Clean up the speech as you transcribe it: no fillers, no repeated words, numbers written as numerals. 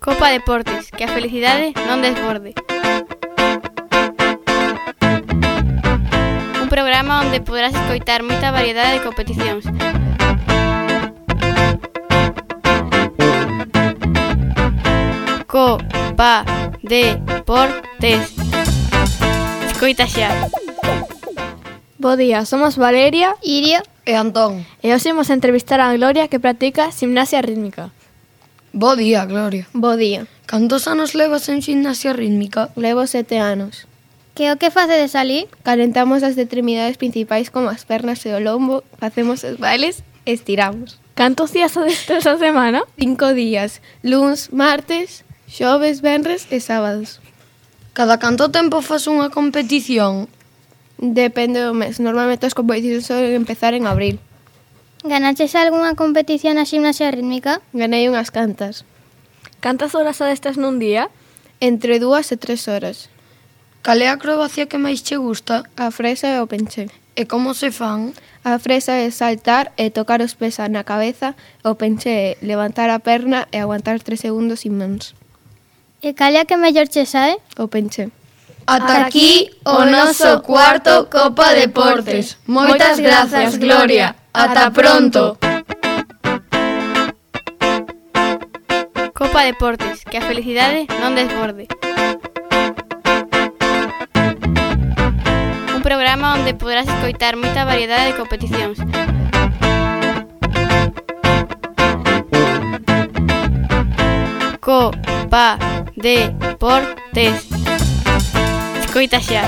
Copa Deportes, que a felicidade non desborde. Un programa onde poderás escoitar moita variedade de competicións. Copa Deportes. Escoita xa. Bo día, somos Valeria, Iria e Antón. e hoxe imos entrevistar a Gloria que practica gimnasia rítmica. Bo día, Gloria. Bo día. Cantos anos levas en gimnasia rítmica? Levo 7 anos. Que o que facedes ali? Calentamos as extremidades principais como as pernas e o lombo, facemos os bailes e estiramos. Cantos días adestras a semana? 5 días, luns, martes, xoves, venres e sábados. Cada canto tempo faz unha competición? Depende do mes, normalmente as competicións solen empezar en abril. Ganaches algunha competición na gimnasia rítmica? Ganei unhas cantas, Cantas horas adestras nun día? entre 2 e 3 horas. Cal é a acrobacia que máis che gusta? A fresa e o penché. E como se fan? A fresa é saltar e tocar os pés na cabeza, o penché é levantar a perna e aguantar 3 segundos sin mans. E cal é a que mellor che sae? O penché. Ata aquí o noso cuarto Copa Deportes. Moitas grazas, Gloria. Ata pronto. Copa Deportes, que a felicidade non desborde. Un programa onde poderás escoitar moita variedade de competicións. Copa Deportes. Escoita xa.